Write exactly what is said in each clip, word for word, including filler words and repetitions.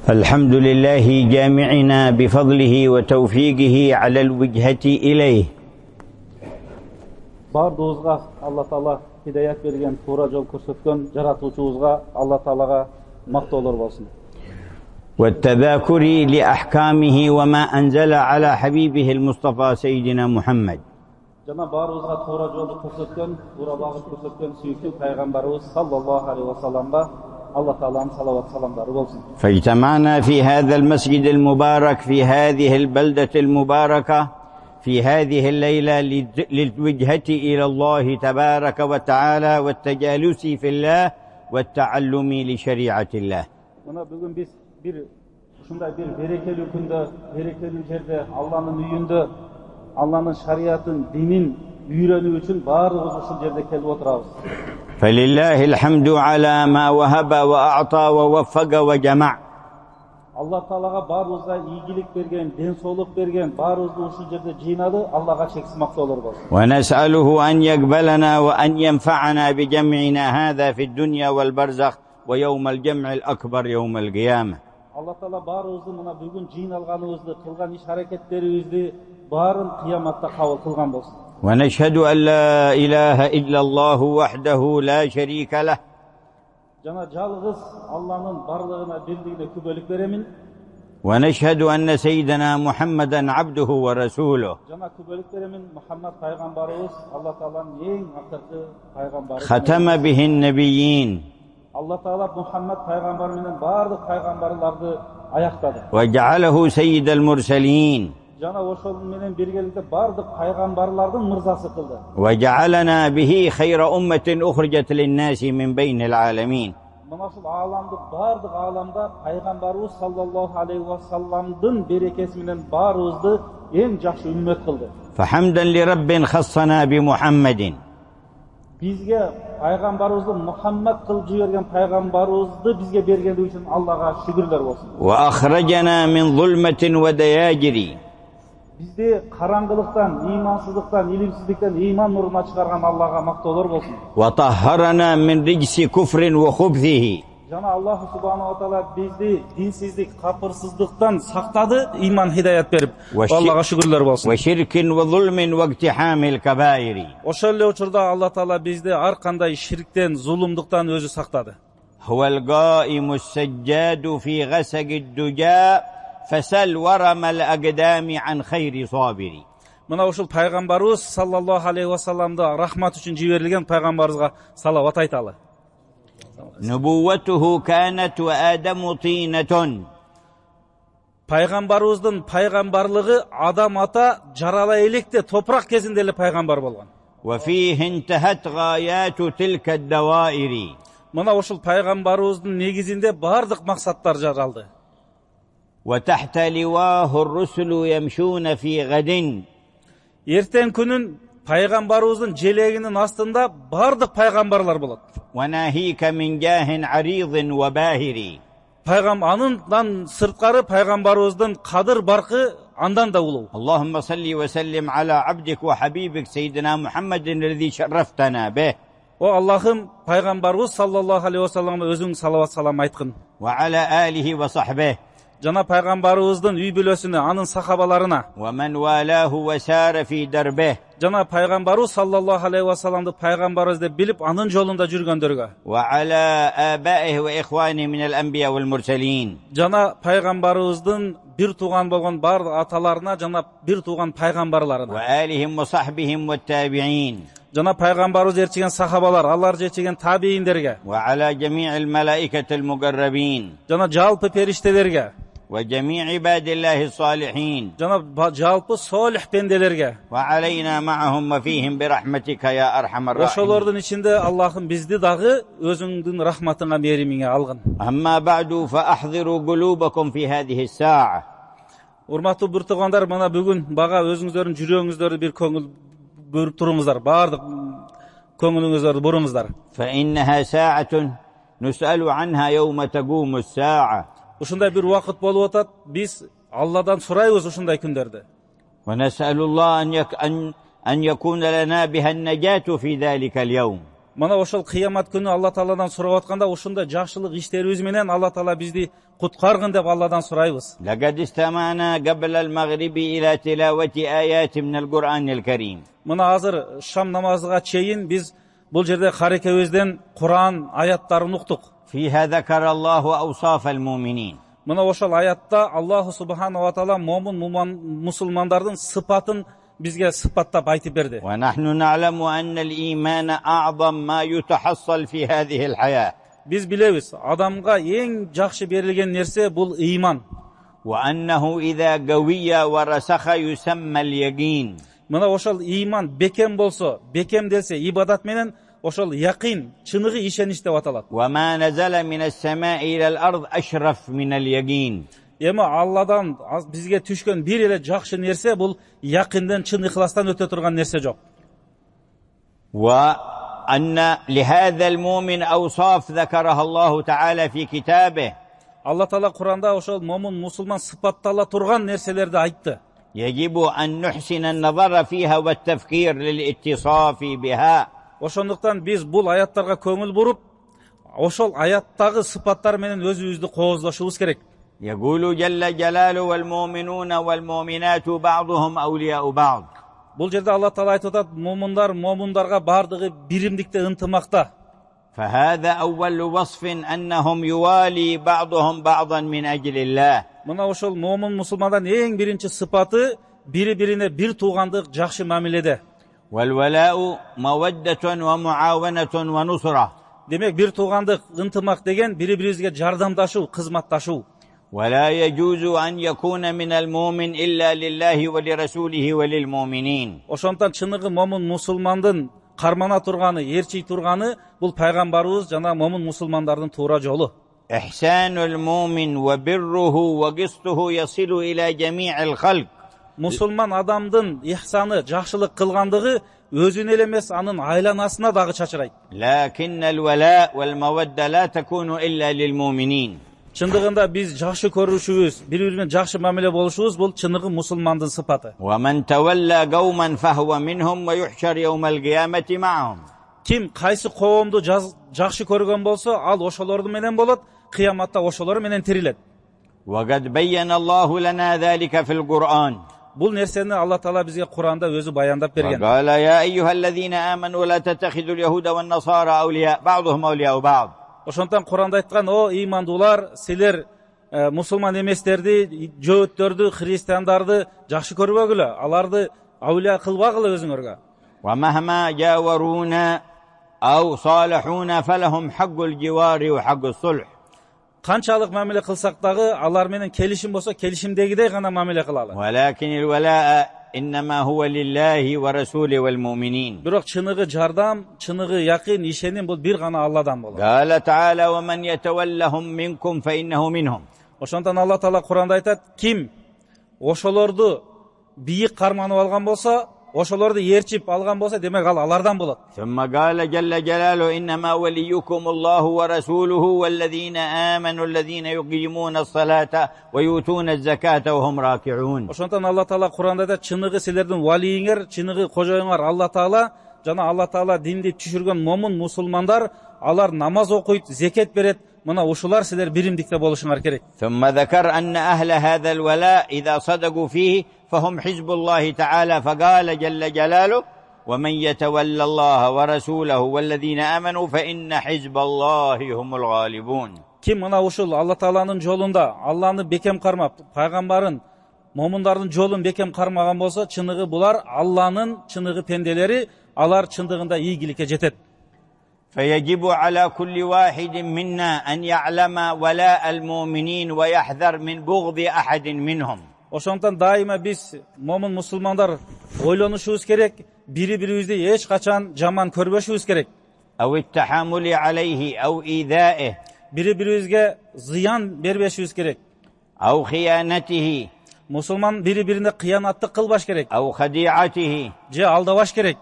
الحمد لله جامعنا بفضله وتوفيقه على الوجهة إليه. Бардыгыбызга Алла Таала хидаят берген, туура жол көрсөткөн жаратуучубузга Алла Таалага мактоолор болсун. والتذاكر لأحكامه وما أنزل على حبيبه المصطفى سيدنا محمد. Жана баарыбызга туура жолду көрсөткөн, туура багыт көрсөткөн сүйүктүү пайгамбарыбыз саллаллаху алейхи ва салламга الله تعالى صلوات سلام دار بولسن. فاجتمعنا في هذا المسجد المبارك في هذه البلدة المباركة في هذه الليلة للوجهة إلى الله تبارك وتعالى والتجالس في الله والتعلم لشريعة الله. Мына бүгүн биз бир ушундай бир берекелүү күндө, берекелүү жерде, Алланын үйүндө, Алланын шариатын, динин үйрөнүү үчүн баарыбыз ушул жерде келип отурабыз. فلله الحمد على ما وهب وأعطى ووفق وجمع. Allah Taalaga баарыбызга ийгилик берген, ден соолук берген, баарыбызды ушул жерде жыйнады. Аллага чексиз мактоолор болсун. ونسأله أن يقبلنا وأن ينفعنا بجمعنا هذا في الدنيا والبرزخ ويوم الجمع الأكبر يوم القيامة. Allah Taala баарыбызды мына бүгүн жыйналганыбызды, кылган иш аракеттерибизди баарын кыяматта кабыл кылган болсун. ونشهد أن لا إله إلا الله وحده لا شريك له. Жана жалгыз Алланын барлыгына бирлигине күбөлүк беремин. ونشهد أن سيدنا محمدا عبده ورسوله. Жана күбөлүк беремин Мухаммад пайгамбарыбыз Алла Тааланын эң акыркы пайгамбары. ختم به النبيين. Allah Taala Muhammed пайгамбар менен бардык пайгамбарларды аяктады. وجعله سيد المرسلين. Жана ошол менен биргеликте бардык пайгамбарлардын мырзасы кылды. وجعلنا به خير أمة أخرجت للناس من بين العالمين. Мына ушул ааламды бардык ааламда пайгамбарыбыз саллаллаху алейхи ва салламдын берекеси менен баарыбызды эң жакшы үммөт кылды. فحمدا لرب خصنا بمحمد. Бизге пайгамбарыбызды Мухаммад кылып жиберген пайгамбарыбызды бизге бергендиги үчүн Аллага шүгүрлөр болсун. وأخرجنا من ظلمة ودياجر. Бизди караңгылыктан, ыймансыздыктан, илимсиздиктен ыйман нуруна чыгарган Аллага мактоолор болсун. وطهرنا من رجس كفر وخبثه. Жана Аллах субханаху ва таала бизди динсиздик, капырсыздыктан сактады, ыйман хидаят берип. Аллага шүгүрлөр болсун. وشرك وظلم واقتحام الكبائر. Ошол эле учурда Алла Таала бизди ар кандай ширктен, зулумдуктан өзү сактады. هو القائم السجاد في غسق الدجى فسل ورم الأقدام عن خير صابر. Мына ушул пайгамбарыбыз саллаллаху алейхи ва салламды рахмат үчүн жиберилген пайгамбарыбызга салават айталы. نبوته كانت وآدم طينة. Пайгамбарыбыздын пайгамбарлыгы Адам ата жарала электе топурак кезинде эле пайгамбар болгон. وفيه انتهت غايات تلك الدوائر. Мына ушул пайгамбарыбыздын негизинде бардык максаттар жаралды. وتحت لواه الرسل يمشون في غد. Эртең күнүн пайгамбарыбыздын желегинин астында бардык пайгамбарлар болот. وناهيك من جاه عريض وباهر. Пайгам андан сырткары пайгамбарыбыздын кадыр баркы андан да улуу. اللهم صل وسلم على عبدك وحبيبك سيدنا محمد الذي شرفتنا به. О Аллахым, пайгамбарыбыз саллаллаху алейхи ва салламга өзүң салават салам айткын. وعلى آله وصحبه. Жана пайгамбарыбыздын үй бүлөсүнө, анын сахабаларына. ومن والاه وسار في دربه. Жана пайгамбарыбыз саллаллаху алейхи ва салламды пайгамбарыбыз деп билип, анын жолунда жүргөндөргө. وعلى آبائه وإخوانه من الأنبياء والمرسلين. Жана пайгамбарыбыздын бир тууган болгон бардык аталарына, жана бир тууган пайгамбарларына. وآلهم وصحبهم والتابعين. Жана пайгамбарыбыз ээрчиген сахабалар, алар ээрчиген табииндерге. وعلى جميع الملائكة المقربين. Жана жалпы периштелерге. وجميع عباد الله الصالحين. Жана жалпы солих пенделерге. وعلينا معهم وفيهم برحمتك يا أرحم الراحمين. Ошолордун ичинде Аллахым бизди дагы өзүңдүн рахматыңа, меримиңе алгын. أما بعد فأحضروا قلوبكم في هذه الساعة. Урматтуу бир туугандар, мына бүгүн бага өзүңүздөрдүн жүрөгүңүздөрдү бир көңүл бөрүп туруңуздар, бардык көңүлүңүздөрдү бурууңуздар. فإنها ساعة نسأل عنها يوم تقوم الساعة. Ушундай бир убакыт болуп атат, биз Алладан сурайбыз ушундай күндөрдө. ونسأل الله أن يك أن أن يكون لنا بها النجاة في ذلك اليوم. Мына ошол кыямат күнү Алла Тааладан сурап атканда ушундай жакшылык иштерибиз менен Алла Таала бизди куткаргын деп Алладан сурайбыз. لقد استمعنا قبل المغرب إلى تلاوة آيات من القرآن الكريم. Мына азыр шам намазыга чейин биз бул жерде карекебизден Куран аяттарын уктук. فيها ذكر الله أوصاف المؤمنين. Мына ошол аятта Аллаху субханала ва таала момун мусулмандардын сыпатын бизге сыпаттап айтып берди. ونحن نعلم أن الإيمان أعظم ما يتحصل في هذه الحياة. Биз билебиз, адамга эң жакшы берилген нерсе бул ыйман. وأنه إذا قوي ورسخ يسمى اليقين. Мына ошол ыйман бекем болсо, бекемделсе ибадат менен ошол якин, чыныгы ишенич деп аталат. وما نزل من السماء إلى الأرض أشرف من اليقين. Эми Алладан бизге түшкөн бир эле жакшы нерсе бул якинден, чын ихластан өтө турган нерсе жок. وأن لهذا المؤمن أوصاف ذكرها الله تعالى في كتابه. Алла Таала Куранда ошол момун мусулман сыпаттала турган нерселерди айтты. يجب أن نحسن النظر فيها والتفكير للاتصاف بها. Ошондуктан биз бул аяттарга көңүл буруп, ошол аяттагы сыпаттар менен өзүбүздү кооздошубуз керек. يقول جل جلاله والمؤمنون والمؤمنات بعضهم أولياء بعض. Бул жерде Алла Таала айтып атат, момундар момундарга бардыгы биримдикте ынтымакта. فهذا أول وصف أنهم يوالي بعضهم بعضا من أجل الله. Мына ошол момун мусулмандан эң биринчи сыпаты бири-бирине бир туугандык жакшы мамиледе. والولاء مودة ومعاونة ونصرة. Демек бир туугандык ынтымак деген бири-бирибизге жардамдашуу, кызматташуу. ولا يجوز أن يكون من المؤمن إلا لله ولرسوله وللمؤمنين. Ошондон чыныгы момун мусулмандын кармана турганы, ээрчий турганы бул пайгамбарыбыз жана момун мусулмандардын туура жолу. إحسان المؤمن وبره وقسطه يصل إلى جميع الخلق. Мусулман адамдын ихсаны, жакшылык кылгандыгы өзүнө эле эмес, анын айланасына дагы чачырайт. لكن الولاء والمودة لا تكون إلا للمؤمنين. Чындыгында биз жакшы көрүшүбүз, бири-бири менен жакшы мамиле болушубуз бул чыныгы мусулмандын сыпаты. ومن تولى قوما فهو منهم ويحشر يوم القيامة معهم. Ким кайсы коомду жакшы көргөн болсо, ал ошолорду менен болот, кыяматта ошолор менен тирилет. وقد بين الله لنا ذلك في القرآن. Бул нерсени Алла Таала бизге Куранда өзү баяндап берген. وقال يا أيها الذين آمنوا لا تتخذوا اليهود والنصارى أولياء بعضهم أولياء بعض. Ошондон Куранда айткан, о ыймандуулар, силер мусулман эместерди, жөөттөрдү, христиандарды жакшы көрбөгүлө, аларды аулия кылбагыла өзүңөргө. ومهما جاورونا أو صالحونا فلهم حق الجوار وحق الصلح. Канчалык мамиле кылсак дагы алар менен келишим болсо, келишимдегидей гана мамиле кылалы. ولكن الولاء إنما هو لله ورسوله والمؤمنين. Бирок чыныгы жардам, чыныгы якын, ишеним бул бир гана Алладан болот. قال تعالى ومن يتولهم منكم فإنه منهم. Ошондон Алла Таала Куранда айтат, ким ошолорду бийик карманып алган болсо, ошолорду ээрчип алган болсо, демек ал алардан болот. ثم قال جل جلاله إنما وليكم الله ورسوله والذين آمنوا الذين يقيمون الصلاة ويؤتون الزكاة وهم راكعون. Ошондон Алла Таала Куранда айтат, чыныгы силердин валийиңер, чыныгы кожоюңар Алла Таала жана Алла Таала динди түшүргөн момун мусулмандар, алар намаз окуйт, зекет берет. Мына ушулар силер биримдикте болушуңар керек. ثم ذكر أن أهل هذا الولاء إذا صدقوا فيه فهم حزب الله تعالى فقال جل جلاله ومن يتولى الله ورسوله والذين آمنوا فإن حزب الله هم الغالبون. Ким мына ушул Алла Тааланын жолунда Алланы бекем кармап, пайгамбарын, момундардын жолун бекем кармаган болсо, чыныгы булар Алланын чыныгы пенделери, алар чындыгында ийгиликке жетет. فيجب على كل واحد منا أن يعلم ولاء المؤمنين ويحذر من بغض أحد منهم. Ошондон дайыма биз момун мусулмандар ойлонушубуз керек, бири-бирибизди эч качан жаман көрбөшүбүз керек. أو التحامل عليه أو إيذائه. Бири-бирибизге зыян бербешибиз керек. أو خيانته. Мусулман бири-бирине кыянаттык кылбаш керек. أو خديعته. Же алдабаш керек.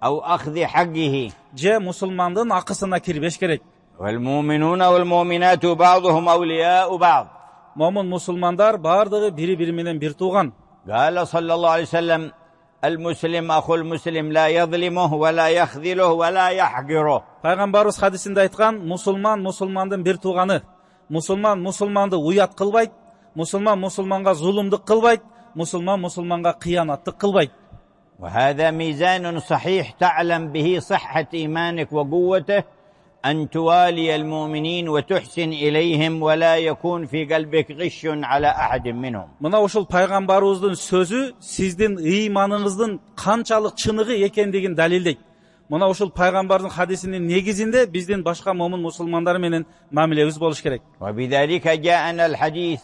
أو أخذ حقه. Же мусулмандын акысына кирбеш керек. والمؤمنون والمؤمنات بعضهم أولياء بعض. Момун мусулмандар бардыгы бири-бири менен бир тууган. قال صلى الله عليه وسلم المسلم أخو المسلم لا يظلمه ولا يخذله ولا يحقره. Пайгамбарыбыз хадисинде айткан, мусулман мусулмандын бир тууганы. Мусулман мусулманды уят кылбайт, мусулман мусулманга зулумдук кылбайт, мусулман мусулманга кыянаттык кылбайт. وهذا ميزان صحيح تعلم به صحة إيمانك وقوته أن توالي المؤمنين وتحسن إليهم ولا يكون في قلبك غش على أحد منهم. Мына ошол пайгамбарыбыздын сөзү сиздин ыйманыңыздын канчалык чыныгы экендигин далилдейт. Мына ошол пайгамбардын хадисинин негизинде биздин башка момун мусулмандар менен мамилебиз болуш керек. وبذلك جاءنا الحديث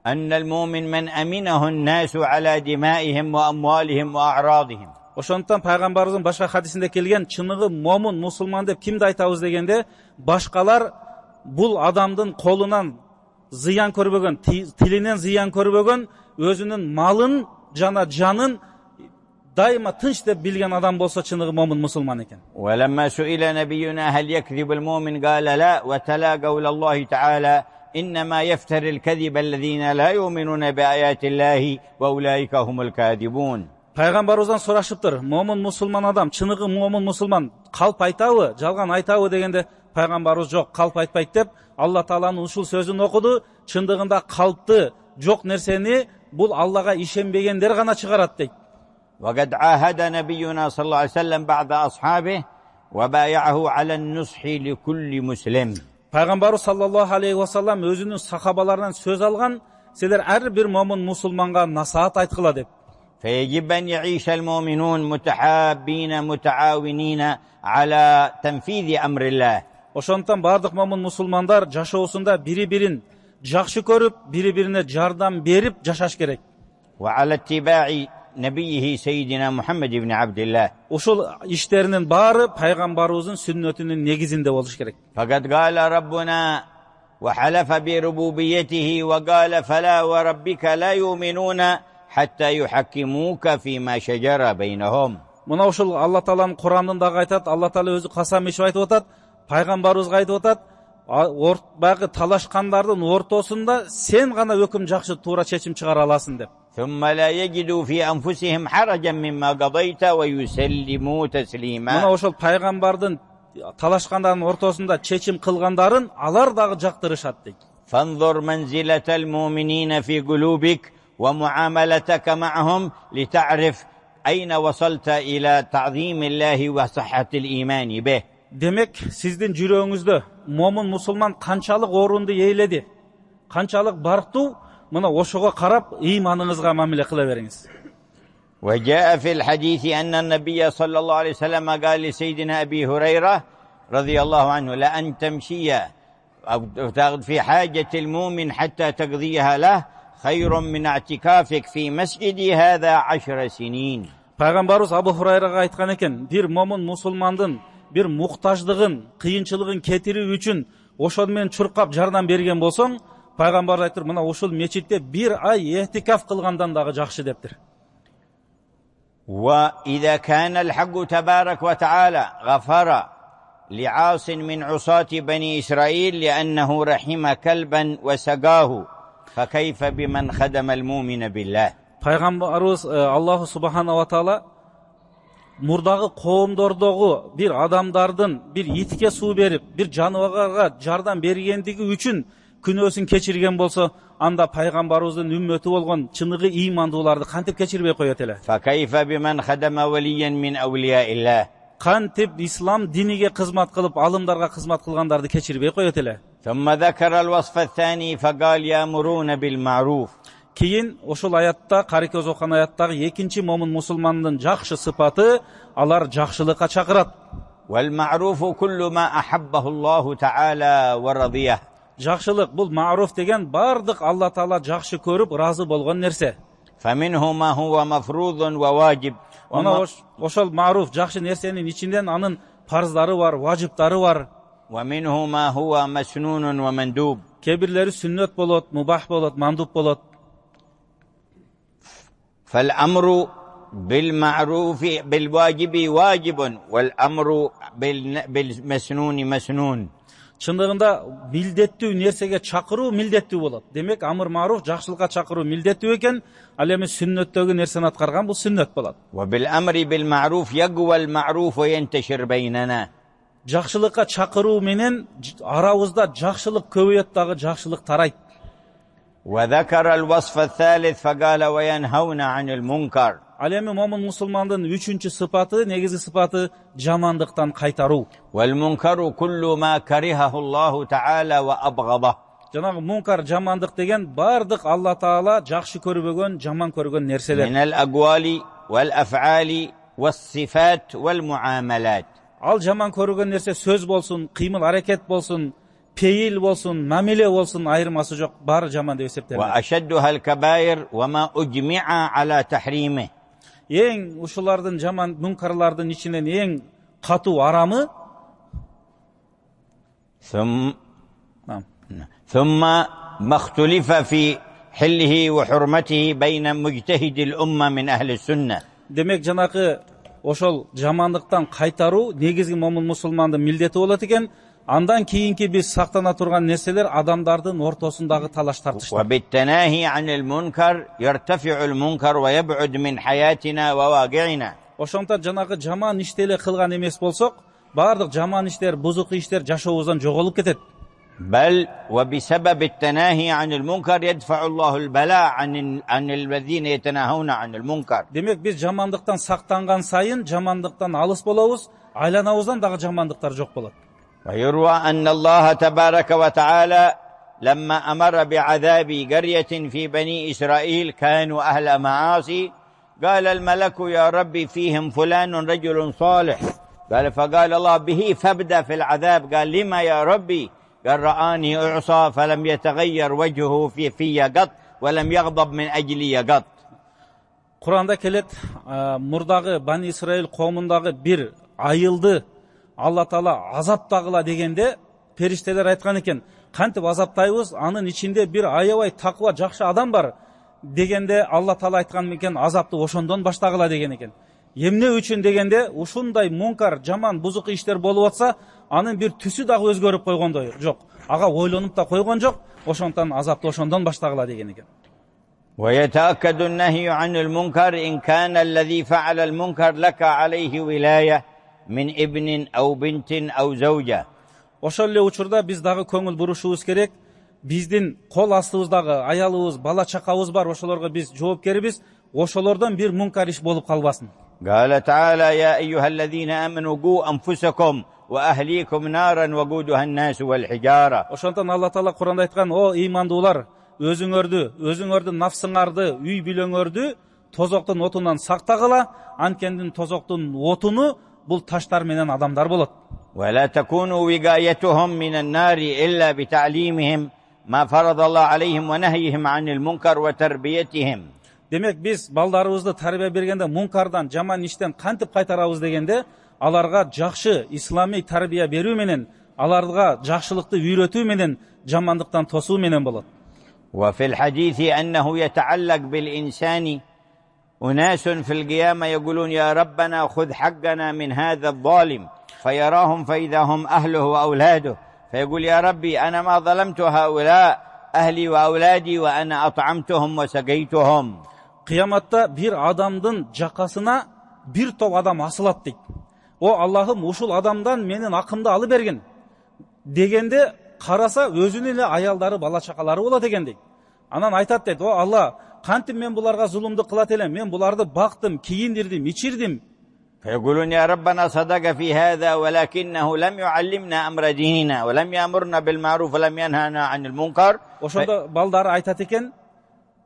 أن المؤمن من أمنه الناس على دمائهم وأموالهم وأعراضهم. Ошондуктан пайгамбарыбыздын башка хадисинде келген чыныгы момун мусулман деп кимди айтабыз дегенде, башкалар бул адамдын колунан зыян көрбөгөн, тилинен зыян көрбөгөн, өзүнүн малын жана жанын дайыма тынч деп билген адам болсо чыныгы момун мусулман экен. ولما سئل نبينا هل يكذب المؤمن قال لا وتلا قول الله تعالى إنما يفتر الكذب الذين لا يؤمنون بآيات الله وأولئك هم الكاذبون. Пайгамбарыбыздан сурашыптыр, момун мусулман адам, чыныгы момун мусулман калп айтабы, жалган айтабы дегенде, пайгамбарыбыз жок, калп айтпайт деп Алла Тааланын ушул сөзүн окуду. Чындыгында калпты, жок нерсени бул Аллага ишенбегендер гана чыгарат дейт. وقد عاهد نبينا صلى الله عليه وسلم بعض أصحابه وبايعه على النصح لكل مسلم. Пайгамбарыбыз саллаллаху алейхи ва саллам өзүнүн сахабаларынан сөз алган, силер ар бир момун мусулманга насаат айткыла деп. فيجب أن يعيش المؤمنون متحابين متعاونين على تنفيذ أمر الله. Ошондуктан бардык момун мусулмандар жашоосунда бири-бирин жакшы көрүп, бири-бирине жардам берип жашаш керек. وعلى اتباع نبيه سيدنا محمد بن عبد الله. Ушул иштеринин баары пайгамбарыбыздын сүннөтүнүн негизинде болуш керек. فقد قال ربنا وحلف بربوبيته وقال فلا وربك لا يؤمنون حتى يحكموك فيما شجر بينهم. Мына ушул Алла Тааланын Куранында айтат, Алла Таала өзү касам ишип айтып атат, пайгамбарыбызга айтып атат, баягы талашкандардын ортосунда сен гана өкүм жакшы туура чечим чыгара аласың деп. ثم لا يجدوا في أنفسهم حرجا مما قضيت ويسلموا تسليما. Мына ошол пайгамбардын талашкандардын ортосунда чечим кылгандарын алар дагы жактырышат дейт. فانظر منزلة المؤمنين في قلوبك ومعاملتك معهم لتعرف أين وصلت إلى تعظيم الله وصحة الإيمان به. Демек, сиздин жүрөгүңүздө момун мусулман канчалык орунду ээледи, канчалык барктуу, мына ошого карап ыйманыңызга мамиле кыла бериңиз. وجاء في الحديث أن النبي صلى الله عليه وسلم قال لسيدنا أبي هريرة رضي الله عنه لأن تمشي أو في حاجة المؤمن حتى تقضيها له خير من اعتكافك في مسجدي هذا عشر سنين. Пайгамбарыбыз Абу Хурайрага айткан экен, бир момун мусулмандын бир муктаждыгын, кыйынчылыгын кетирүү үчүн ошол менен чуркап жардам берген болсоң, пайгамбар айтыр, мына ушул мечитте бир ай эhtикаф кылгандан дагы жакшы дептир. وإذا كان الحق تبارك وتعالى غفر لعاص من عصاة بني إسرائيل لأنه رحم كلبا وسقاه فكيف بمن خدم المؤمن بالله. Пайгамбарыбыз Аллаху субхана ва таала мурдагы коомдордогу бир адамдардын бир итке суу берип, бир жаныбарга жардам бергендиги үчүн күнөөсүн кечирген болсо, анда пайгамбарыбыздын үммөтү болгон чыныгы ыймандууларды кантип кечирбей коет эле? فكيف بمن خدم وليا من أولياء الله. Кантип ислам диниге кызмат кылып, алымдарга кызмат кылгандарды кечирбей коет эле? ثم ذكر الوصف الثاني فقال يأمرون بالمعروف. Кийин ошол аятта, карекөз окуган аяттагы экинчи момун мусулмандын жакшы сыпаты, алар жакшылыкка чакырат. والمعروف كل ما أحبه الله تعالى ورضيه. Жакшылык бул ма'руф деген бардык Алла Таала жакшы көрүп, разы болгон нерсе. فمنه ما هو مفروض وواجب. Ана ошол ма'руф жакшы нерсенин ичинден анын парздары бар, важиптары бар. ومنه ما هو مسنون ومندوب. Кебирлери сүннөт болот, мубах болот, мандуб болот. فالأمر بالمعروف بالواجب واجب والأمر بالمسنون مسنون. чындыгында милдеттүү нерсеге чакыруу милдеттүү болот. Демек амыр маруф жакшылыкка чакыруу милдеттүү экен, ал эми сүннөттөгү нерсени аткарган бул сүннөт болот. وبالأمر بالمعروف يقوى المعروف وينتشر بيننا. Жакшылыкка чакыруу менен арабызда жакшылык көбөйөт дагы жакшылык тарайт. وذكر الوصف الثالث فقال وينهون عن المنكر. Ал эми момун мусулмандын үчүнчү сыпаты, негизи сыпаты жамандыктан кайтаруу. والمنكر كل ما كرهه الله تعالى وأبغضه. Жанагы мункар жамандык деген бардык Алла Таала жакшы көрбөгөн, жаман көргөн нерселер. من الأقوال والأفعال والصفات والمعاملات. Ал жаман көргөн нерсе сөз болсун, кыймыл аракет болсун, пейил болсун, мамиле болсун, айырмасы жок, баары жаман деп эсептелет. وأشدها الكبائر وما أجمع على تحريمه. Эң ушулардын жаман мункарлардын ичинен эң катуу арамы ثم ثم ما اختلف في حله وحرمته بين مجتهد الأمة من أهل السنة. Демек жанакы ошол жамандыктан кайтаруу негизги момун мусулмандын милдети болот экен. Андан кийинки биз сактана турган нерселер адамдардын ортосундагы талаш тартыштар. وبالتناهي عن المنكر يرتفع المنكر ويبعد من حياتنا وواقعنا. Ошондон жанагы жаман ишти эле кылган эмес болсок, бардык жаман иштер, бузук иштер жашообуздан жоголуп кетет. بل وبسبب التناهي عن المنكر يدفع الله البلاء عن عن الذين يتناهون عن المنكر. Демек биз жамандыктан сактанган сайын жамандыктан алыс болобуз, айланабыздан дагы жамандыктар жок болот. ويروى أن الله تبارك وتعالى لما أمر بعذاب قرية في بني إسرائيل كانوا أهل معاصي قال الملك يا ربي فيهم فلان رجل صالح قال فقال الله به فابدأ في العذاب قال لما يا ربي قال رآني أعصى فلم يتغير وجهه في في قط ولم يغضب من أجلي قط. Куранда келет, мурдагы Бани Исраил коомундагы бир айылды Алла Таала азаптагыла дегенде периштелер айткан экен, кантип азаптайбыз, анын ичинде бир аябай таква жакшы адам бар дегенде Алла Таала айткан экен, азапты ошондон баштагыла деген экен. Эмне үчүн дегенде, ушундай мункар, жаман, бузук иштер болуп атса, анын бир түсү дагы өзгөрүп койгондой жок. Ага ойлонуп да койгон жок, ошондон азапты ошондон баштагыла деген экен. ويتأكد النهي عن المنكر إن كان الذي فعل المنكر لك عليه ولاية من ابن أو بنت أو زوجة. Ошол эле учурда биз дагы көңүл бурушубуз керек. Биздин кол астыбыздагы аялыбыз, бала чакабыз бар, ошолорго биз жоопкербиз. Ошолордон бир мункар иш болуп калбасын. قال تعالى يا أيها الذين آمنوا قوا أنفسكم وأهليكم نارا وقودها الناس والحجارة. Ошондон Алла Таала Куранда айткан: "О ыймандуулар, өзүңөрдү, өзүңөрдүн нафсыңарды, үй бүлөңөрдү тозоктун отунан сактагыла, анткени тозоктун отуну бул таштар менен адамдар болот." ولا تكونوا وقايتهم من النار إلا بتعليمهم ما فرض الله عليهم ونهيهم عن المنكر وتربيتهم. Демек биз балдарыбызды тарбия бергенде мункардан, жаман иштен кантип кайтарабыз дегенде, аларга жакшы исламий тарбия берүү менен, аларга жакшылыкты үйрөтүү менен, жамандыктан тосуу менен болот. وفي الحديث أنه يتعلق بالإنسان أناس في القيامة يقولون يا ربنا خذ حقنا من هذا الظالم فيراهم فإذا هم أهله وأولاده فيقول يا ربي أنا ما ظلمت هؤلاء أهلي وأولادي وأنا أطعمتهم وسقيتهم. Кыяматта бир адамдын жакасына бир топ адам асылат дейт. О Аллахым, ушул адамдан менин акымды алып берген дегенде караса өзүнүн эле аялдары, бала чакалары болот экен дейт. Анан айтат дейт: "О Алла, кантип мен буларга зулумду кылат элем? Мен буларды бактым, кийиндирдим, ичирдим." فيقولون يا ربنا صدق في هذا ولكنه لم يعلمنا أمر ديننا ولم يأمرنا بالمعروف ولم ينهانا عن المنكر. Ошондо балдары айтат экен: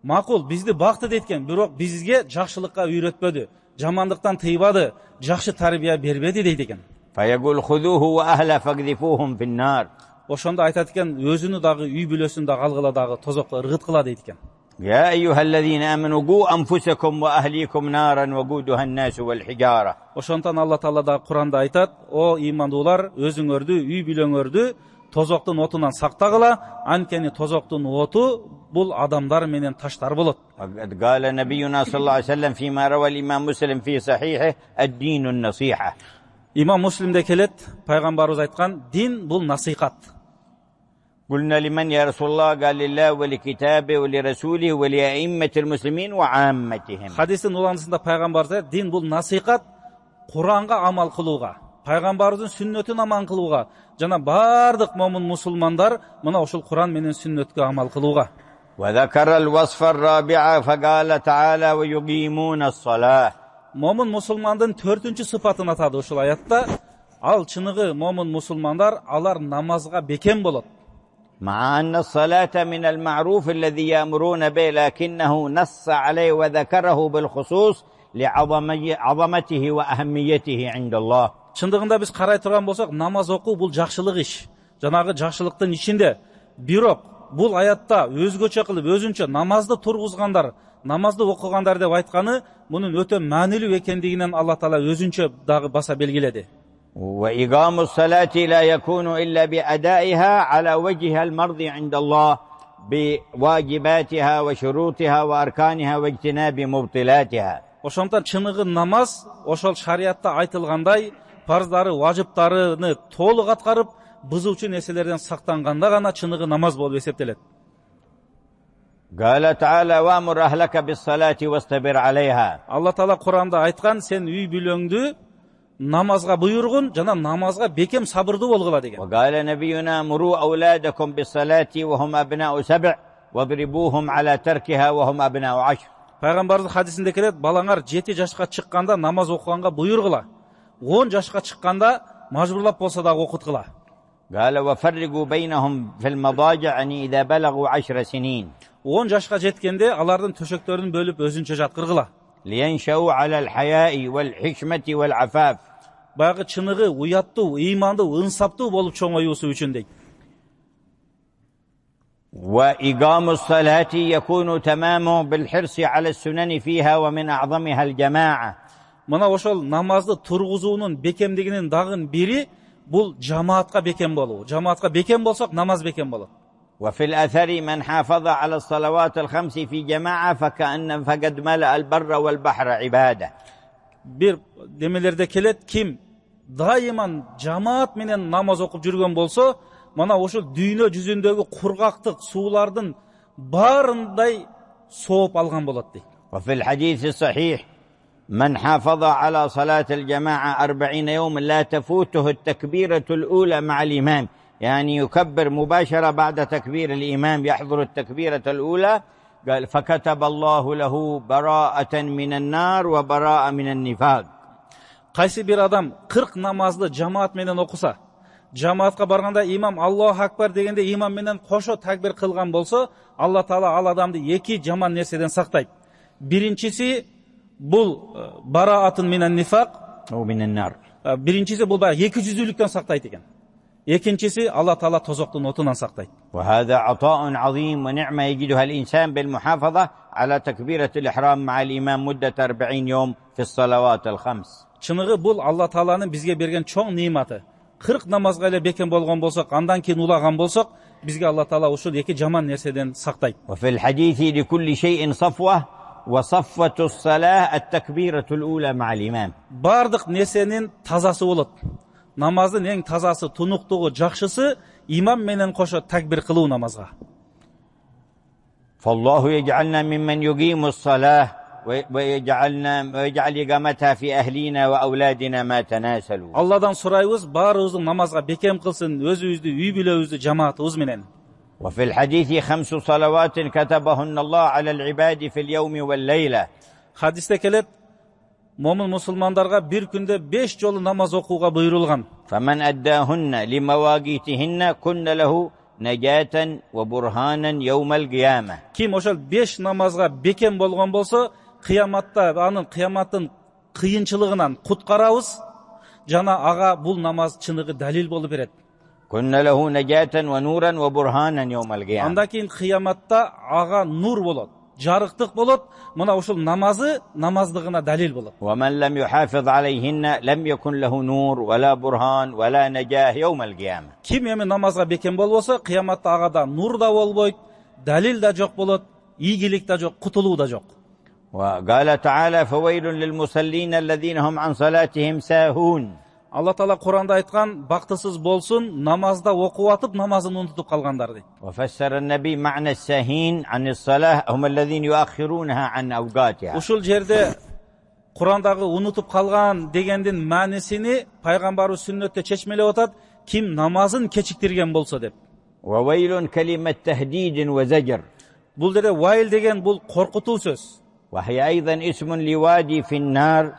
"Макул, бизди бакты дейт, бирок бизге жакшылыкка үйрөтпөдү, жамандыктан тыйбады, жакшы тарбия бербеди" дейт экен. فيقول خذوه وأهله فاقذفوهم في النار. Ошондо айтат экен: "Өзүнү дагы, үй бүлөсүн дагы алгыла дагы тозокко ыргыткыла" дейт экен. يا أيها الذين آمنوا قوا أنفسكم وأهليكم نارا وقودها الناس والحجارة. Ошондон Алла Таала да Куранда айтат: "О ыймандуулар, өзүңөрдү, үй бүлөңөрдү тозоктун отунан сактагыла, анткени тозоктун оту бул адамдар менен таштар болот." قال نبينا صلى الله عليه وسلم فيما روى الإمام مسلم في صحيحه الدين النصيحة. Имам Муслимде келет, пайгамбарыбыз айткан: "Дин бул насихат." قلنا لمن يا رسول الله؟ قال لله ولكتابه ولرسوله ولأئمة المسلمين وعامتهم. Хадистин уландысында пайгамбар дин бул насихат Куранга амал кылууга, пайгамбардын сүннөтүн аман кылууга жана бардык момун мусулмандар мына ошол Куран менен сүннөткө амал кылууга. وذكر الوصف الرابع فقال تعالى ويقيمون الصلاة. Момун мусулмандын төртүнчү сыпатын атады ушул аятта. Ал чыныгы момун мусулмандар алар намазга бекем болот. مع أن الصلاة من المعروف الذي يأمرون به لكنه نص عليه وذكره بالخصوص لعظمته وأهميته عند الله. Чындыгында биз карай турган болсок, намаз окуу бул жакшылык иш. Жанагы жакшылыктын ичинде. Бирок бул аятта өзгөчө кылып өзүнчө намазды тургузгандар, намазды окугандар деп айтканы мунун өтө маанилүү экендигинен Алла Таала өзүнчө дагы баса белгиледи. وإقام الصلاة لا يكون إلا بأدائها على وجهها المرضي عند الله بواجباتها وشروطها وأركانها واجتناب مبطلاتها. Ошондон чыныгы намаз ошол шариатта айтылгандай парздары, важыптарыны толук аткарып, бузуучу нерселерден сактанганда гана чыныгы намаз болуп эсептелет. قال تعالى وأمر أهلك بالصلاة واصطبر عليها. Алла Таала Куранда айткан, сен үй бүлөңдү намазга буйругун жана намазга бекем сабырдуу болгула деген. وقال نبينا مروا أولادكم بالصلاة وهم أبناء سبع واضربوهم على تركها وهم أبناء عشر. Пайгамбардын хадисинде келет, балаңар жети жашка чыкканда намаз окуганга буйругула. он жашка чыкканда мажбурлап болсо да окуткула. قال وفرقوا بينهم في المضاجع يعني إذا بلغوا عشر سنين. он жашка жеткенде алардын төшөктөрүн бөлүп өзүнчө жаткыргыла. لينشأوا على الحياء والحشمة والعفاف. Баягы чыныгы, уяттуу, ыймандуу, ынсаптуу болуп чоңоюусу үчүн дейт. وإقام الصلاة يكون تمامه بالحرص على السنن فيها ومن أعظمها الجماعة. Мына ошол намазды тургузуунун бекемдигинин дагы бири бул жамаатка бекем болуу. Жамаатка бекем болсок намаз бекем болот. وفي الأثر من حافظ على الصلوات الخمس في جماعة فكأن فقد ملأ البر والبحر عبادة. Бир демелерде келет, ким дайыман жамаат менен намаз окуп жүргөн болсо, мана ошол дүйнө жүзүндөгү кургактык суулардын баарындай сооп алган болот дейт. وفي الحديث الصحيح من حافظ على صلاة الجماعة أربعين يوم لا تفوته التكبيرة الأولى مع الإمام، يعني يكبر مباشرة بعد تكبير الإمام يحضر التكبيرة الأولى. قال فكتب الله له براءة من النار وبراءة من النفاق. Кайсы бир адам кырк намазды жамаат менен окуса, жамаатка барганда имам Аллаху акбар дегенде имам менен кошо такбир кылган болсо, Алла Таала ал адамды эки жаман нерседен сактайт. Биринчиси бул бараатын минан нифак, أو من النار. Биринчиси бул баягы эки жүздүүлүктөн сактайт экен. Экинчиси Алла Таала тозоктун отунан сактайт. وهذا عطاء عظيم ونعمة يجدها الإنسان بالمحافظة على تكبيرة الإحرام مع الإمام مدة أربعين يوم في الصلوات الخمس. Чыныгы бул Алла Тааланын бизге берген чоң нематы. кырк намазга эле бекем болгон болсок, андан кийин улаган болсок, бизге Алла Таала ушул эки жаман нерседен сактайт. وفي الحديث لكل شيء صفوة وصفوة الصلاة التكبيرة الأولى مع الإمام. Бардык нерсенин тазасы болот. Намаздын эң тазасы, тунуктугу, жакшысы имам менен кошо такбир кылуу намазга. فالله يجعلنا ممن يقيم الصلاة ويجعلنا ويجعل إقامتها في أهلنا وأولادنا ما تناسلوا. Алладан сурайбыз, баарыбызды намазга бекем кылсын, өзүбүздү, үй бүлөбүздү, жамаатыбыз менен. وفي الحديث خمس صلوات كتبهن الله على العباد في اليوم والليلة. Хадисте келет, момун мусулмандарга бир күндө беш жолу намаз окууга буйрулган. فمن أداهن لمواقيتهن كن له نجاة وبرهانا يوم القيامة. Ким ошол беш намазга бекем болгон болсо, кыяматта анын кыяматтын кыйынчылыгынан куткарабыз, жана ага бул намаз чыныгы далил болуп берет. كن له نجاة ونورا وبرهانا يوم القيامة. Андан кийин кыяматта ага нур болот, жарыктык болот. Мына ушул намазы намаздыгына далил болот. ومن لم يحافظ عليهن لم يكن له نور ولا برهان ولا نجاة يوم القيامة. Ким эми намазга бекем болбосо, кыяматта ага да нур да болбойт, далил да жок болот, ийгилик да жок, кутулуу да жок. وقال تعالى فويل للمصلين الذين هم عن صلاتهم ساهون. Алла Таала Куранда айткан, бактысыз болсун намазда окуп атып намазын унутуп калгандар дейт. وفسر النبي معنى الساهين عن الصلاة هم الذين يؤخرونها عن أوقاتها. Ушул жерде Курандагы унутуп калган дегендин маанисини пайгамбарыбыз сүннөттө чечмелеп атат, ким намазын кечиктирген болсо деп. وويل كلمة تهديد وزجر. Бул жерде вайл деген бул коркутуу сөз. وهي أيضا اسم لوادي في النار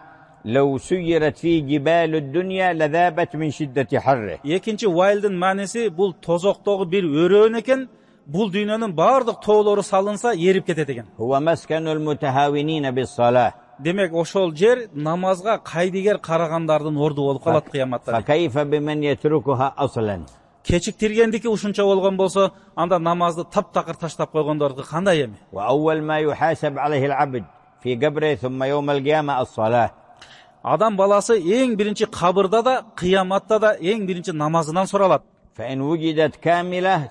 لو سيرت فيه جبال الدنيا لذابت من شدة حره. Экинчи вайлдын мааниси бул тозоктогу бир өрөөн экен, бул дүйнөнүн баардык тоолору салынса эрип кетет экен. هو مسكن المتهاونين بالصلاة. Демек ошол жер намазга кайдыгер карагандардын орду болуп калат кыяматта. فكيف بمن يتركها أصلا. Кечиктиргендики ушунча болгон болсо, анда намазды таптакыр таштап койгондордуку кандай эми? وأول ما يحاسب عليه العبد في قبره ثم يوم القيامة الصلاة. Адам баласы эң биринчи кабырда да, кыяматта да эң биринчи намазынан суралат. فإن وجدت كاملة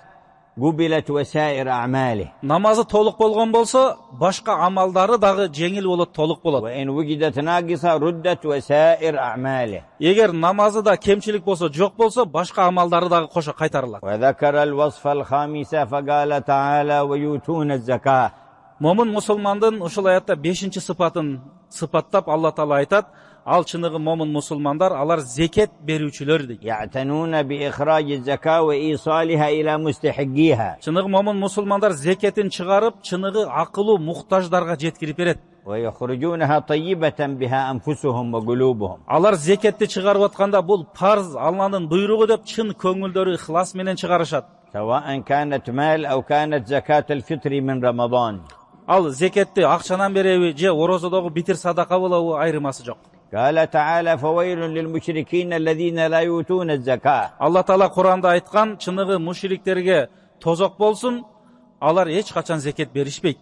قبلت وسائر أعماله. Намазы толук болгон болсо, башка амалдары дагы жеңил болот, толук болот. وإن وجدت ناقصة ردت وسائر أعماله. Эгер намазы да кемчилик болсо, жок болсо, башка амалдары дагы кошо кайтарылат. وذكر الوصف الخامسة فقال تعالى ويؤتون الزكاة. Момун мусулмандын ушул аятта бешинчи сыпатын сыпаттап Алла Таала айтат, ал чыныгы момун мусулмандар, алар зекет берүүчүлөр дейт. يعتنون بإخراج الزكاة وإيصالها إلى مستحقيها. Чыныгы момун мусулмандар зекетин чыгарып, чыныгы акылуу муктаждарга жеткирип берет. ويخرجونها طيبة بها أنفسهم وقلوبهم. Алар зекетти чыгарып атканда бул парз, Алланын буйругу деп чын көңүлдөрү ихлас менен чыгарышат. سواء كانت مال أو كانت زكاة الفطر من رمضان. Ал зекетти акчанан береби же орозодогу битир садака болобу айырмасы жок. قال تعالى فويل للمشركين الذين لا يؤتون الزكاة. Алла Таала Куранда айткан, чыныгы мушриктерге тозок болсун, алар эч качан зекет беришпейт.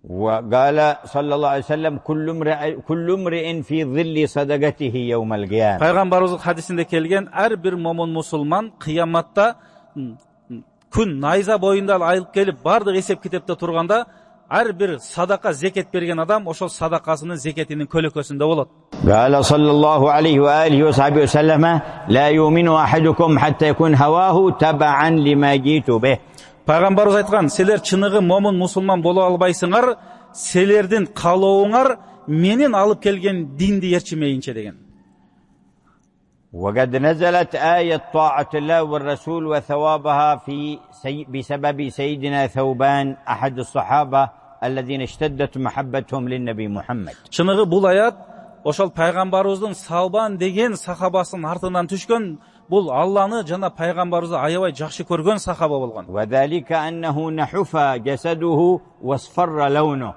وقال صلى الله عليه وسلم كل امرئ كل امرئ في ظل صدقته يوم القيامة. Пайгамбарыбыз хадисинде келген, ар бир момун мусулман кыяматта күн найза боюнда айылып келип бардык эсеп китепте турганда, ар бир садака зекет берген адам ошол садакасынын зекетинин көлөкөсүндө болот. قال صلى الله عليه وآله وصحبه وسلم لا يؤمن أحدكم حتى يكون هواه تبعا لما جئت به. Пайгамбарыбыз айткан, силер чыныгы момун мусулман боло албайсыңар, силердин каалооңар менин алып келген динди ээрчимейинче деген. وقد نزلت آية طاعة الله والرسول وثوابها في سي... بسبب سيدنا ثوبان أحد الصحابة الذين اشتدت محبتهم للنبي محمد. Чыныгы бул аят ошол пайгамбарыбыздын Саубан деген сахабасынын артынан түшкөн, бул Алланы жана пайгамбарыбызды аябай жакшы көргөн сахаба болгон. وذلك أنه نحف جسده واصفر لونه.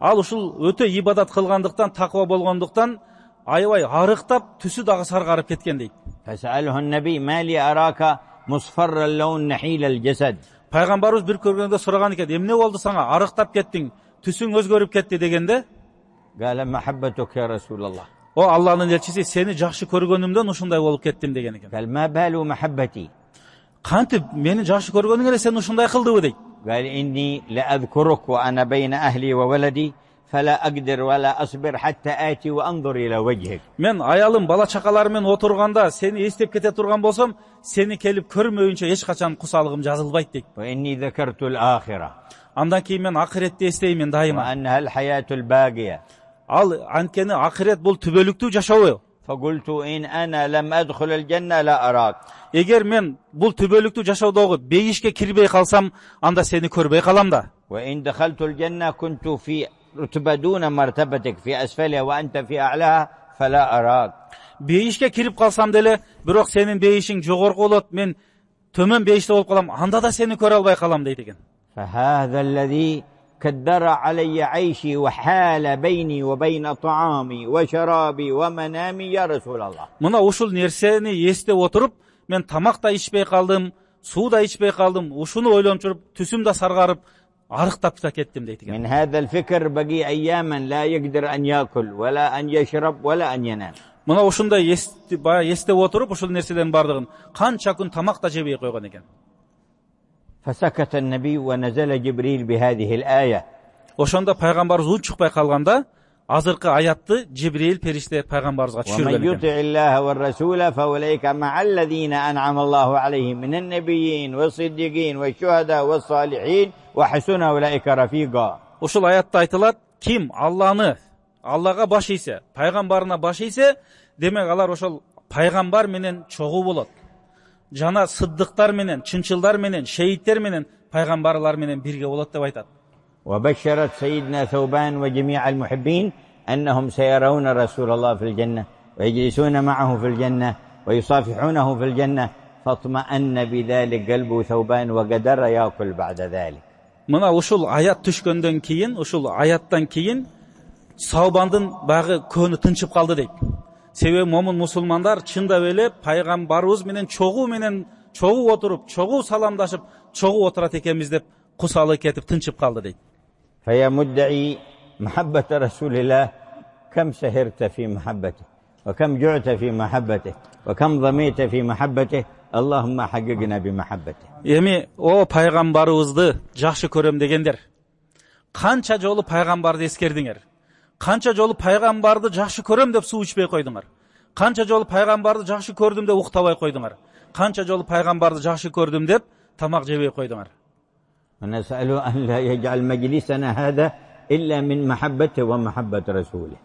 Ал ушул өтө ибадат кылгандыктан, таква болгондуктан аябай арыктап, түсү дагы саргарып кеткен дейт. فسأله النبي ما لي أراك مصفر اللون نحيل الجسد. Пайгамбарыбыз бир көргөндө сураган экен, эмне болду сага, арыктап кеттиң, түсүң өзгөрүп кетти дегенде, قال محبتك يا رسول الله. О Алланын элчиси, сени жакшы көргөнүмдөн ушундай болуп кеттим деген экен. قال ما بال محبتي. Кантип мени жакшы көргөнүң эле сен ушундай кылдыбы дейт. قال إني لأذكرك وأنا بين أهلي وولدي فلا أقدر ولا أصبر حتى آتي وأنظر إلى وجهك. Мен аялым, бала чакаларым менен отурганда сени эстеп кете турган болсом, сени келип көрмөйүнчө эч качан кусалыгым жазылбайт дейт. وإني ذكرت الآخرة. Андан кийин мен акыретти эстеймин дайыма. وأنها الحياة الباقية. Ал анткени акырет бул түбөлүктүү жашоо. فقلت إن أنا لم أدخل الجنة لا أراك. Эгер мен бул түбөлүктүү жашоодогу бейишке кирбей калсам, анда сени көрбөй калам да. وإن دخلت الجنة كنت في رتبة دون مرتبتك في أسفلها وأنت في أعلاها فلا أراك. Бейишке кирип калсам деле, бирок сенин бейишиң жогорку болот, мен төмөн бейиште болуп калам, анда да сени көрө албай калам дейт экен. فهذا الذي كدر علي عيشي وحال بيني وبين طعامي وشرابي ومنامي يا رسول الله. Мына ушул нерсени эстеп отуруп, мен тамак да ичпей калдым, суу да ичпей калдым, ушуну ойлонуп жүрүп, түсүм да саргарып, арыктап да кеттим дейт экен. من هذا الفكر بقي أياما لا يقدر أن يأكل ولا أن يشرب ولا أن ينام. Мына ушундай эстеп отуруп, ушул нерселердин бардыгын канча күн тамак да жебей койгон экен. فسكت النبي ونزل جبريل بهذه الآية. Ошондо пайгамбарыбыз ун чыкпай калганда, азыркы аятты Жибрил периште пайгамбарыбызга ومن түшүргөн экен. يطع الله والرسول فأولئك مع الذين أنعم الله عليهم من النبيين والصديقين والشهداء والصالحين وحسن أولئك رفيقا. Ушул аятта айтылат, ким Алланы, Аллага баш ийсе, пайгамбарына баш ийсе, демек алар ошол пайгамбар менен чогуу болот. Жана сыддыктар менен, чынчылдар менен, шейиттер менен, пайгамбарлар менен бирге болот деп айтат. وبشرت سيدنا ثوبان وجميع المحبين أنهم سيرون رسول الله في الجنة ويجلسون معه في الجنة ويصافحونه في الجنة فاطمأن بذلك قلب ثوبان وقدر يأكل بعد ذلك. Мына ушул аят түшкөндөн кийин, ушул аяттан кийин Саубандын багы көңү тынчып калды дейт. Себеби момун мусулмандар чындап эле пайгамбарыбыз менен чогуу менен чогуу отуруп, чогуу саламдашып, чогуу отурат экенбиз деп кусалы кетип тынчып калды дейт. فيا مدعي محبة رسول الله كم سهرت في محبته وكم جعت في محبته وكم ظميت في محبته اللهم حققنا بمحبته. Эми о пайгамбарыбызды жакшы көрөм дегендер, канча жолу пайгамбарды эскердиңер? Канча жолу пайгамбарды жакшы көрөм деп суу ичпей койдуңар? Канча жолу пайгамбарды жакшы көрдүм деп уктабай койдуңар? Канча жолу пайгамбарды жакшы көрдүм деп тамак жебей койдуңар? ونسأله أن لا يجعل مجلسنا هذا إلا من محبته ومحبة رسوله.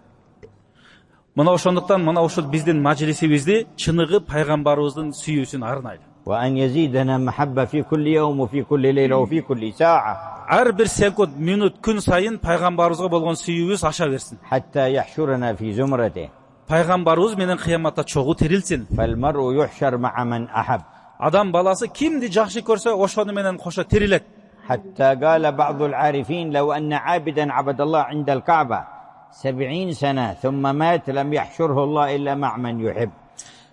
Мына ошондуктан мына ушул биздин мажлисибизди чыныгы пайгамбарыбыздын сүйүүсүн арнайлы. وأن يزيدنا محبة في كل يوم وفي كل ليلة وفي كل ساعة. Ар бир секунд, минут, күн сайын пайгамбарыбызга болгон сүйүүбүз аша берсин. حتى يحشرنا في زمرته. Пайгамбарыбыз менен кыяматта чогуу тирилсин. فالمرء يحشر مع من أحب. Адам баласы кимди жакшы көрсө, ошону менен кошо тирилет. حتى قال بعض العارفين لو أن عابدا عبد الله عند الكعبة سبعين سنة ثم مات لم يحشره الله إلا مع من يحب.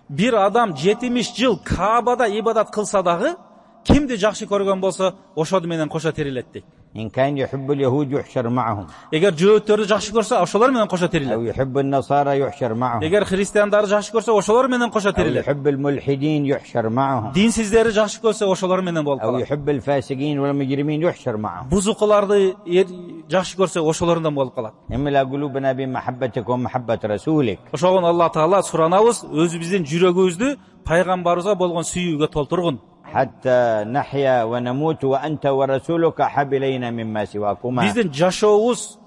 Бир адам жетимиш жыл Каабада ибадат кылса дагы, кимди жакшы көргөн болсо, ошону менен кошо тирилет дейт. إن كان يحب اليهود يحشر معهم. Эгер жөөттөрдү жакшы көрсө, ошолор менен кошо أو тирилет. يحب النصارى يحشر معهم. Эгер христиандарды жакшы көрсө, ошолор менен кошо أو тирилет. يحب الملحدين يحشر معهم. Динсиздерди жакшы көрсө, ошолор менен болуп أو калат. يحب الفاسقين والمجرمين يحشر معهم. Бузукуларды жакшы көрсө, ошолорундан болуп калат. املأ قلوبنا بمحبتك ومحبة رسولك. Ошогон Алла Таала суранабыз, өзүбүздүн жүрөгүбүздү пайгамбарыбызга болгон сүйүүгө толтургун. حتى نحيا ونموت وأنت ورسولك أحب إلينا مما سواكما. Биздин жашообуз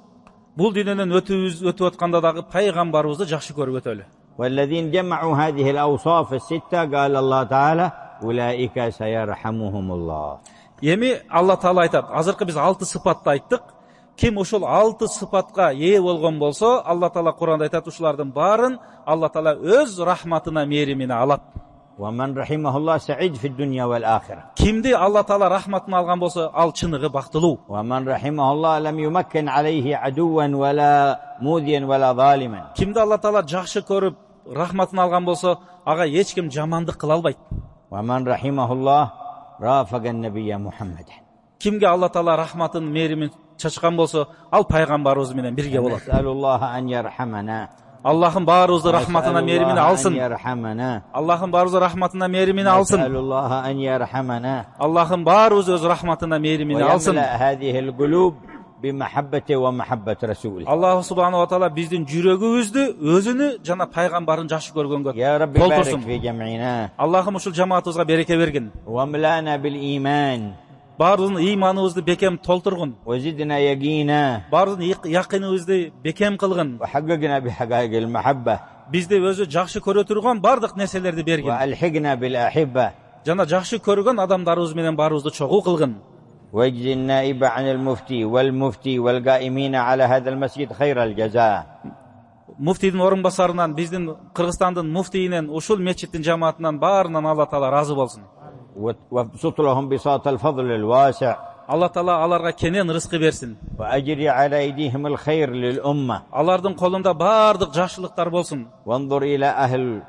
бул дүйнөдөн өтүбүз өтүп атканда дагы пайгамбарыбызды жакшы көрүп өтөлү. والذين جمعوا هذه الأوصاف الستة قال الله تعالى أولئك سيرحمهم الله. Эми Алла Таала айтат, азыркы биз алты сыпатты айттык. Ким ошол алты сыпатка ээ болгон болсо, Алла Таала Куранда айтат, ушулардын баарын Алла Таала өз рахматына, мээримине алат. ومن رحمه الله سعيد في الدنيا والآخرة. Кимди Алла Таала рахматын алган болсо, ал чыныгы бактылуу. ومن رحمه الله لم يمكن عليه عدوا ولا موذيا ولا ظالما. Кимди Алла Таала жакшы көрүп, рахматын алган болсо, ага эч ким жамандык кыла албайт. ومن رحمه الله رافق النبي محمد. Кимге Алла Таала рахматын, мээримин чачкан болсо, ал пайгамбарыбыз менен бирге болот. نسأل الله أن يرحمنا. Аллахым баарыбызды рахматына, мээримине алсын. Аллахым баарыбызды рахматына, мээримине алсын. Аллахым баарыбызды өз рахматына, мээримине алсын. Аллах субханаху ва таала биздин жүрөгүбүздү өзүнү жана пайгамбарын жакшы көргөнгө толтурсун. Аллахым ушул жамаатыбызга береке бергин. Баарыбыздын ыйманыбызды бекем толтургун. Баарыбыздын якыныбызды бекем кылгын. Бизди өзү жакшы көрө турган бардык нерселерди бергин. Жана жакшы көргөн адамдарыбыз менен баарыбызды чогуу кылгын. ويجزي النائب عن المفتي والمفتي والقائمين على هذا المسجد خير الجزاء. Муфтийдин орун басарынан, биздин Кыргызстандын муфтийинен, ушул мечиттин жамаатынан баарынан Алла Таала разы болсун. وابسط لهم بساط الفضل الواسع. Алла Таала аларга кенен рызкы берсин. وأجري على أيديهم الخير للأمة. Алардын колунда бардык жакшылыктар болсун. وانظر إلى أهل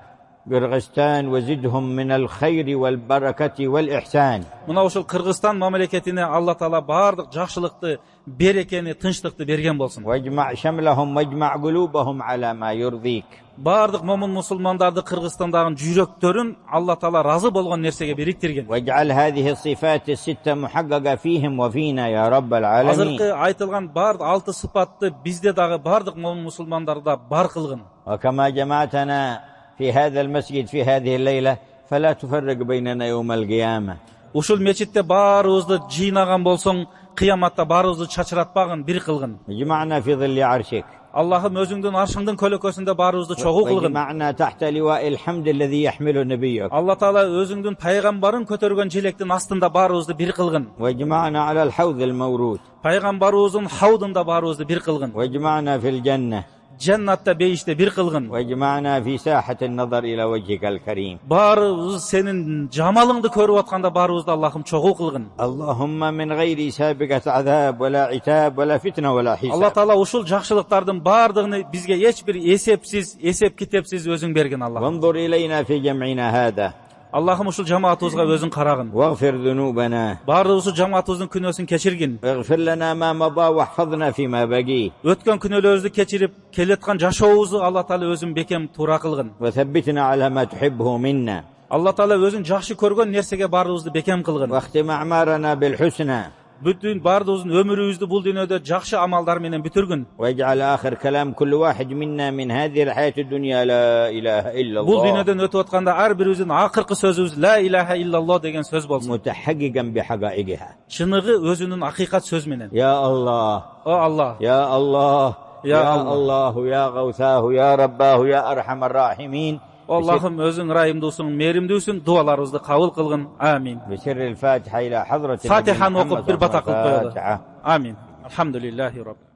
قرغستان وزدهم من الخير والبركة والإحسان. Мына ушул Кыргызстан мамлекетине Алла Таала бардык жакшылыкты, берекени, тынчтыкты берген болсун. واجمع شملهم واجمع قلوبهم على ما يرضيك. Бардык момун мусулмандарды Кыргызстандагы жүрөктөрүн Алла Таала разы болгон нерсеге бириктирген. واجعل هذه الصفات الستة محققة فيهم وفينا يا رب العالمين. Азыркы айтылган бардык алты сыпатты бизде дагы бардык момун мусулмандарда бар кылгын. وكما جمعتنا في هذا المسجد في هذه الليلة فلا تفرق بيننا يوم القيامة. Ушул мечитте баарыбызды жыйнаган болсоң, кыяматта баарыбызды чачыратпагын, бир кылгын. اجمعنا في ظل عرشك. Аллахым өзүңдүн аршыңдын көлөкөсүндө баарыбызды чогуу кылгын. واجمعنا تحت لواء الحمد الذي يحمل نبيك. Алла Таала өзүңдүн пайгамбарын көтөргөн желектин астында баарыбызды бир кылгын. واجمعنا على الحوض المورود. Пайгамбарыбыздын хаудында баарыбызды бир кылгын. واجمعنا في الجنة. Жаннатта бейиште бир кылгын. واجمعنا في ساحة النظر إلى وجهك الكريم. Баарыбыз сенин жамалыңды көрүп атканда баарыбызды Аллахым чогуу кылгын. اللهم من غير سابقة عذاب ولا عتاب ولا فتنة ولا حساب. Алла Таала ушул жакшылыктардын бардыгын бизге эч бир эсепсиз, эсеп китепсиз өзүң берген Аллах. وانظر إلينا في جمعنا هذا. Аллахым ушул жамаатыбызга өзүң карагын. واغفر ذنوبنا. Баарыбыз жамаатыбыздын күнөөсүн кечиргин. واغفر لنا ما مضى واحفظنا فيما بقي. Өткөн күнөөлөрүбүздү кечирип, келеткан жашообузду Алла Таала өзүң бекем туура кылгын. وثبتنا على ما تحبه منا. Алла Таала өзүң жакшы көргөн нерсеге баарыбызды бекем кылгын. واختم أعمارنا بالحسنى. Бүтүн бардыгыбыздын өмүрүбүздү бул дүйнөдө жакшы амалдар менен бүтүргүн. واجعل آخر كلام كل واحد منا من هذه الحياة الدنيا لا إله إلا Бул الله. дүйнөдөн өтүп атканда ар бирибиздин акыркы сөзүбүз ла илаха иллаллах деген сөз болсун. متحققا بحقائقها. Чыныгы өзүнүн акыйкат сөз менен. يا الله. О Алла. يا الله. يا يا الله. الله يا غوثاه يا رباه يا أرحم الراحمين. Аллахым өзүң райымдуусуң, мээримдүүсүң, дуаларыбызды кабыл кылгын. Амин. بسر الفاتحة إلى حضرة Фатиханы محمد окуп бир бата кылып коелу. الفاتحة. Амин. Алхамдулиллахи раббил